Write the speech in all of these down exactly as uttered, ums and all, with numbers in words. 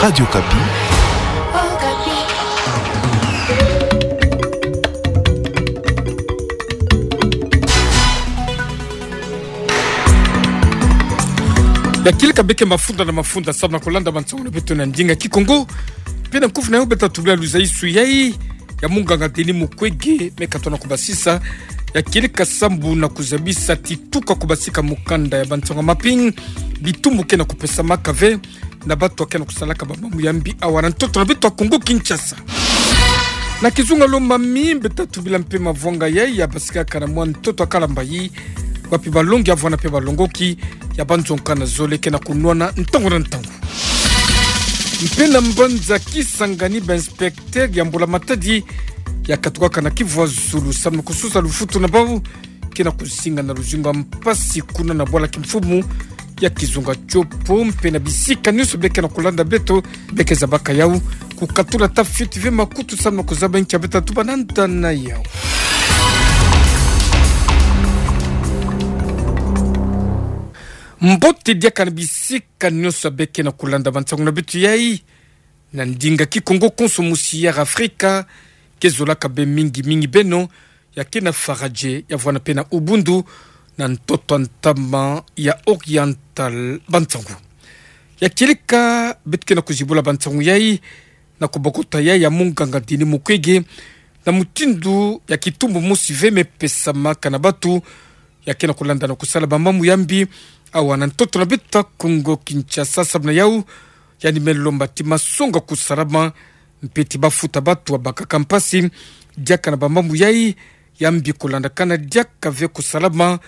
Radio Okapi. Ya kieleka beke mafunda na mafunda samu na kulanda mantsongo na beto na ndinga Kikongo. Mpe na nkufi na yo beta tubila luzaisu yai ya munganga Denis Mukwege, me katona kubasisa ya kieleka sambu na kuzabisa ti tuka kubasika mukanda ya bantsanga mapping, bitumbu ke na kupesamaka ve na batu ake na kusalaka bamambu ya mbi awa na ntoto na beto ya Kongo Kinshasa. Na kizunga lo mami, beta tubila mpe mavwanga yai ya basikaka na mwa ntoto ya kalambayi, wapi balongi ya vwanda mpe balongoki ya banzonga na zole ke na kunwana ntangu na ntangu. Mpe na mbanza Kisangani, ba inspecteur ya mbula-matadi ya katukaka na Kivu ya Zulu samu na kusosa lufutu na bau ke na kuzinga na luzingu ya mpasi kuna na bwala kimfumu ya kizunga Tshopo, mpe na bisika nyonso beke na kulanda beto, beke zabaka yau kukatula ata fioti ve makutu samu na kuzaba nki ya beta tuba na nda na yau. Mbote diaka na bisika nyonso beke na kulanda bantsongo na beto yai na ndinga Kikongo konso musi ya Afrika, ke zolaka be mingi mingi beno ya ke na Faradje, ya vwanda mpe na Ubundu, na ntoto ya ntama ya Oriental. Bantsongo ya kieleka beto ke na kuzibula bantsongo yai na kubokota yai ya munganga Denis Mukwege na mutindu ya kitumbu mosi ve me pesamaka na batu ya ke na kulanda na kusala bamambu ya mbi awa na ntoto na beto ya Kongo Kinshasa. Samu na yau, yandi me lomba ti masonga kusalama, mpe ti bafuta batu ya bakaka mpasi diaka na bamambu yai ya mbi kulandakana diaka ve kusalama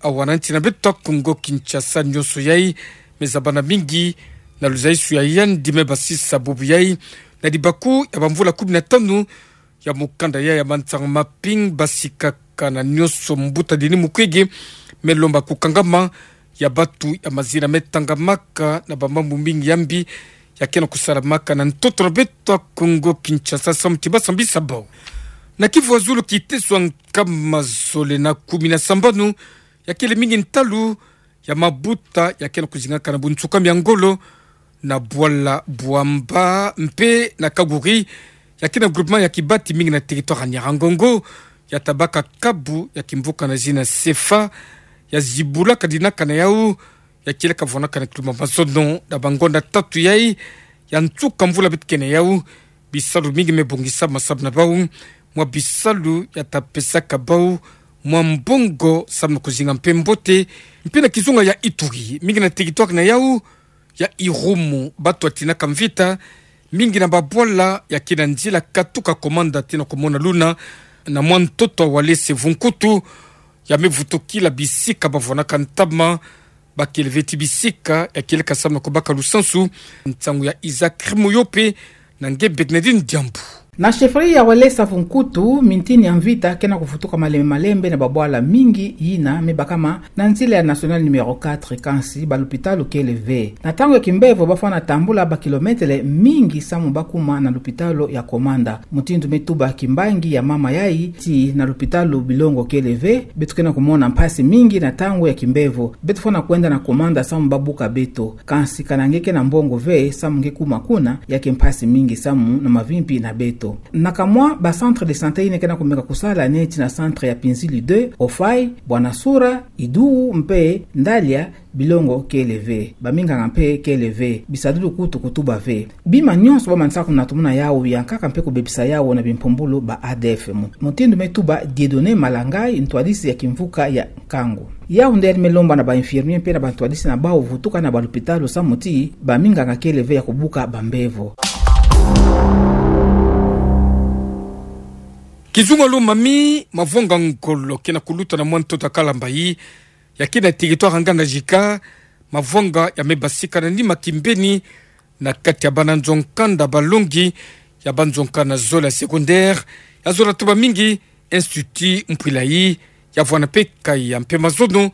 awa na nti na beto ya Kongo Kinshasa. Nyonso yai me zabana mingi na luzaisu ya yandi me basisa bubu yai na libaku ya bamvula kumi na tanu ya mukanda yai ya bantsanga mapping. Basikaka na nyonso, mbuta Denis Mukwege me lomba kukangama ya batu ya mazina me tangamaka na bamambu mingi ya mbi ya ke na kusalamaka na ntoto na beto ya Kongo Kinshasa samu ti basambisa bau. Na Kivu ya Zulu, kiteso ya nkama zole na kumi na sambanu ya kele mingi ntalu ya mabuta ya ke na kuzingaka na bunsukami ya ngolo na bwala Bwamba mpe na Kaguri, ya ke na groupement ya Kibati, mingi na territoire ya Nyiragongo, ya tabaka kabu ya kimvuka na zina Sefa, ya zibula kadinaka na yau, ya kieleka vwanaka na kiluma mazono na bangonda tatu yai ya nsuka mvula beto ke na yau. Bisalu mingi me bongisama samu na bau, mwa bisalu ya ta pesaka bau mwa mbongo samu na kuzinga mpe mbote. Mpe na kizunga ya Ituri, mingi na territoire na yau ya Irumu, batu ya tinaka mvita mingi na babwala ya ke na nzila katuka Komanda tii na kumona luna na mwa ntoto ya Walese Vunkutu, ya me vutukila bisika bavwanaka ntama, bakele ve ti bisika ya kieleka samu na kubaka lusansu. Nsangu ya Isaac Rimoyope na nge Bernardine Diambu. Na chefferie ya Walese Vunkutu, mintini ya mvita ke na kuvutuka malembe malembe na babwala mingi yina me bakama na nzila ya nationale numéro quatre, kansi balupitalu kele ve. Na ntangu ya kimbevo bafwana tambula bakilometele mingi samu bakuma na lupitalu ya Komanda. Mutindu me tuba kimbangi ya mama yai ti na lupitalu bilongo kele ve, beto ke na kumona mpasi mingi na ntangu ya kimbevo. Beto fwana kwenda na Komanda samu babuka beto. Kansi kana nge ke na mbongo ve samu nge kuma kuna, ya ke mpasi mingi samu na mavimpi na beto. Na kamwa ba centre de santé yina ke na kumeka kusala neti na centre ya Pinzili deux, Ofai, Bwanasura, Iduu mpe Ndalia, bilongo kele ve, baminganga mpe kele ve, bisadulu kutu kutuba ve. Bima nyonso bamanisaka kunatumuna yau, yankaka mpe kubebisa yau na bimpumbulu ba A D F. Mu-, mutindu me tuba Dieudonné Malangai, ntwadisi ya kimvuka ya Kangu. Yau nde me lomba na ba infirmier mpe na bantwadisi na bau vutuka na balupitalu samu ti baminganga kele ve ya kubuka bambevo. Kizunga lo mami, mavonga ngolo ke na kuluta na mwa ntoto ya Kalambayi, ya ke na territoire ya Ngandajika, mavonga ya me basika na nima kimbeni na kati ya bana nzo-nkanda balongi ya banzo-nkanda zole ya secondaire, ya zola tuba mingi Institut Mpuilayi, ya vwana mpe kaya mpe mazono,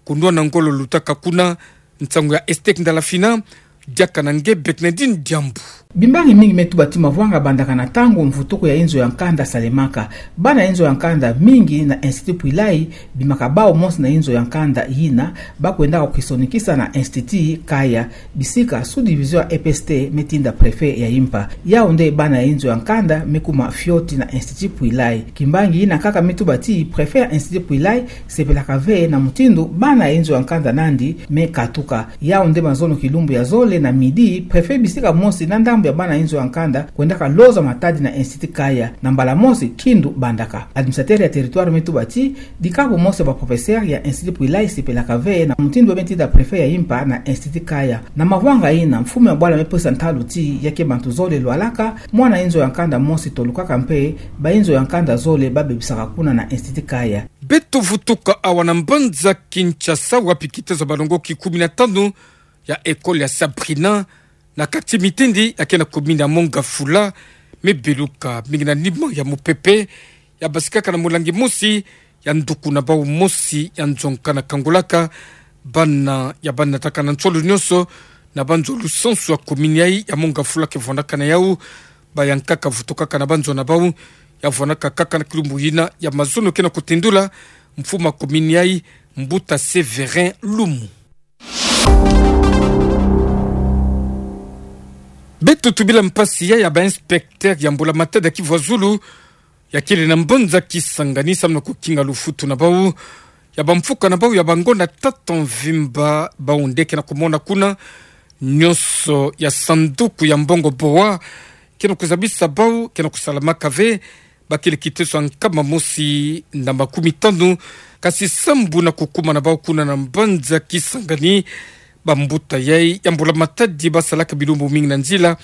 kunwana ngolo lutaka kuna. Nsangu ya Estek Ndalafina, diaka na nge Bernardine Diambu. Bimbangi mingi me tuba ti mavwanga bandaka na ntangu mvutuku ya inzo ya nkanda salemaka. Bana inzo ya nkanda mingi na Institut Pwilai, bimaka bau mosi na inzo ya nkanda yina, bakwendaka kwisonikisa na Institut Kaya, bisika sous-division ya E P S T me tinda préfet ya impa. Yau nde bana ya inzo ya nkanda me kuma fioti na Institut Pwilai. Kimbangi yina kaka me tuba ti préfet ya Institut Pwilai sepelaka ve na mutindu bana ya inzo ya nkanda nandi me katuka. Yau nde mazono kilumbu ya zole na midi, préfet bisika mosi na ndambu ya bana ya inzo ya nkanda kwendaka loza matadi na Institut Kaya. Na mbala mosi, kindu bandaka. Administrateur ya territoire me tuba ti, dikabu mosi ya ba professeur ya Institut Pwilai sepelaka ve na mutindu me tinda préfet ya impa na Institut Kaya. Na mavwanga yina, mfumu ya bwala me pesa ntalu ti, ya ke bantu zole lwalaka, mwana inzo ya nkanda mosi tolukaka mpe, ba inzo ya nkanda zole babebisaka kuna na Institut Kaya. Beto vutuka awa na mbanza Kinshasa, wapi kitezo ya balongoki kumi na tanu ya école ya Sabrina, na kati mitindi ya ke na commune ya Mont-Ngafula, me beluka mingi na nima ya mupepe, ya basikaka na mulangi mosi ya nduku na bau mosi ya nzo nkana kangulaka bana ya banataka na nsolo nyonso na banzo lusansu ya commune yayi ya Mont-Ngafula ke vwandaka na yau. Bayankaka vutukaka na banzo na bau, ya vwandaka kaka na kilumbu yina ya mazono ke na kutindula mfumu ya commune yayi, Mbuta Sévérin Lumu. Beto tubila mpasi ya, ya ba inspecteur ya mbula matadi ya kivwazulu, ya kele na mbanza Kisangani samu na kukinga lufutu na bau ya bamfuka na bau ya bangonda tata mvimba, bau nde ke na kumona kuna. Nyonso ya sanduku ya mbongo boa ke na kuzabisa bau ke na kusalamaka ve. Bakele kitezo ya nkama mosi na makumi tanu, kasi sambu na kukuma na bau kuna na mbanza Kisangani, bambuta yayi ya mbula matadi basalaka bilumbu mingi na nzila,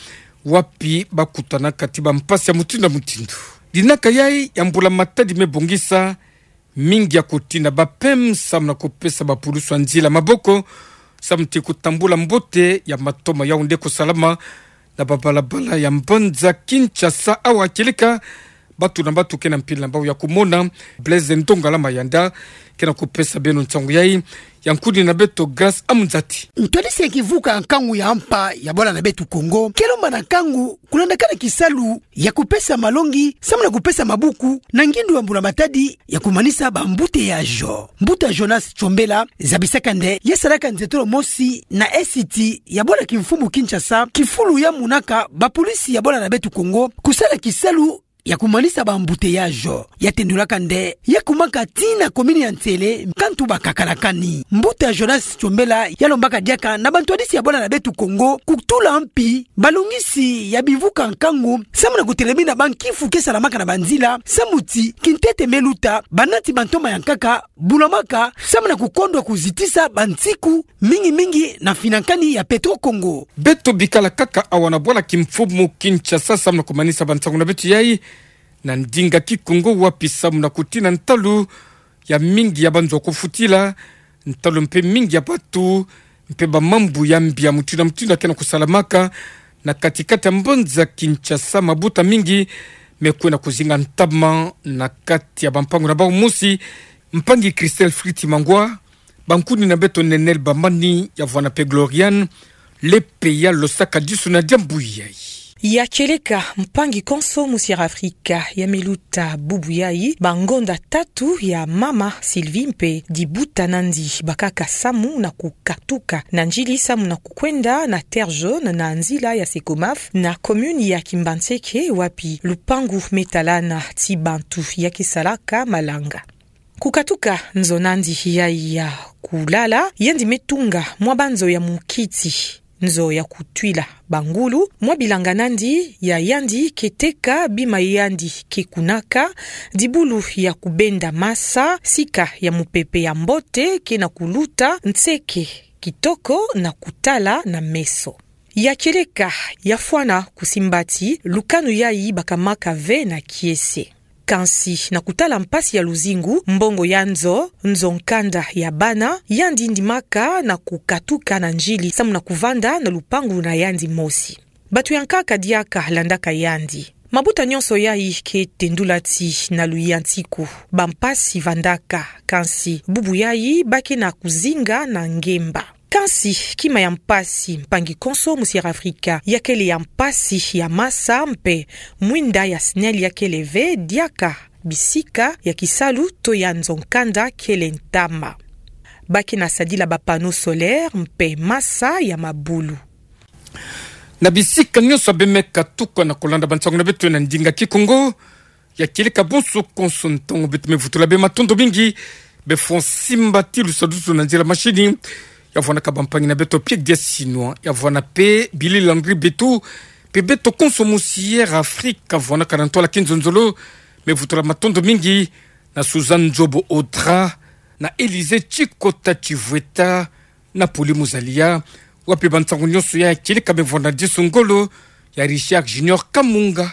wapi bakutanaka ti bampasi ya mutindu na mutindu. Dinaka yayi ya mbula matadi me bongisa mingi ya kutina ba P M samu na kupesa bapulusu ya nzila maboko, samu ti kutambula mbote ya matoma yau nde kusalama na babalabala ya mbanza Kinshasa. Awa kieleka, bato na bato ke na mpila na bau ya kumona. Blaise Ndongala Mayanda ke na kupesa beno nsangu yayi. Ya nkuni na beto Grâce Amzati. Ntwadisi ya kivuka nkangu ya mpa ya bwala na beto Kongo ke lomba na nkangu kulandaka na kisalu ya kupesa malongi samu na kupesa mabuku na ngindu ya mbula matadi ya kumanisa ba embouteillages. Mbuta Jonas Chombela zabisaka nde ya salaka nzietolo mosi na N C T ya bwala kimfumu Kinshasa, kifulu ya monaka bapolisi ya bwala na beto Kongo kusala kisalu ya kumanisa ba embouteillages. Ya tendulaka nde ya kumaka tii na commune ya Nsele, kantu bakakalakani. Mbuta Jonas Chombela ya lombaka diaka na bantwadisi ya bwala na beto Kongo kutula mpi balongisi ya bivuka nkangu samu na kutelemina bankifu ke salamaka na banzila, samu ti kintete me luta, banati bantoma ya nkaka bulamaka samu na kukondwa kuzitisa bansiku, mingi mingi na finankani ya Petro Congo. Beto bikala kaka awa na bwala kimfumu Kinshasa samu na kumanisa bansangu na beto yayi na ndinga Kikongo, wapi samu na kutina ntalu ya mingi ya banzo kufutila, ntalu mpe mingi ya bato, mpe bamambu ya mbi ya mutindu na mutindu ya ke na kusalamaka na katikati ya mbanza Kinshasa. Mabuta mingi me kwenda kuzinga ntama na kati ya bampangu na bau mosi. Mpangi Christelle Fritz Mangwa, bankuni na beto Nenel Bamani, ya vwanda mpe Gloriane Lepe ya losaka disu na diambu yayi. Ya kieleka, mpangi konso mu Sierra Afrika ya me luta bubu yayi bangonda tatu ya mama Sylvie mpe dibuta nandi bakaka samu na kukatuka na nzili samu na kukwenda na Terre Jaune na nzila ya Secomaf na commune ya Kimbanseke, wapi lupangu me talana ti bantu ya ke salaka malanga. Kukatuka nzo nandi yayi ya kulala, yandi me tunga mwa banzo ya mukiti, nzo ya kutwila bangulu, mwa bilanga nandi ya yandi ke teka bima yandi ke kunaka, dibulu ya kubenda masa, sika ya mupepe ya mbote ke na kuluta, nseke kitoko na kutala na meso. Ya kieleka, ya fwana kusimba ti lukanu yayi bakamaka ve na kiese. Kansi na kutala mpasi ya luzingu, mbongo ya nzo, nzo nkanda ya bana, yandi ndimaka na kukatuka na nzili samu na kuvanda na lupangu na yandi mosi. Bato ya nkaka diaka landaka yandi. Mabuta nyonso yayi ke tendula ti na luyantiku bampasi vandaka, kansi bubu yayi ba ke na kuzinga na ngemba. Kansi, kima ya mpasi, mpangi konso musi Air Africa yakele ya mpasi ya masa mpe mwinda ya signal yakele ve diaka bisika ya kisalu to ya nzo-nkanda kele ntama. Baki na sadila ba panneaux solaires mpe masa ya mabulu. Na bisika nyonso ya bemeka tuka na kolanda bansangu na beto na ndinga Kikongo, ya kieleka bonso konso ntangu beto me vutula bê matondo mingi, bê fwa simba ti lusadusu na nzila mashini, ya vwanaka bampangi na beto Pierre Diasinois, ya vwana pe Billy Landry Betu, pe beto konso musi Air Africa, vwanaka na ntwala kinzonzolo, me vutula matondo mingi, na Suzanne Nzobo Audra, na Élysée Tshikota Tshivweta, na Poli Muzalia, wapi bansangu nyonso ya kieleka me vwana disu ngolo, ya Richard Junior Kamunga,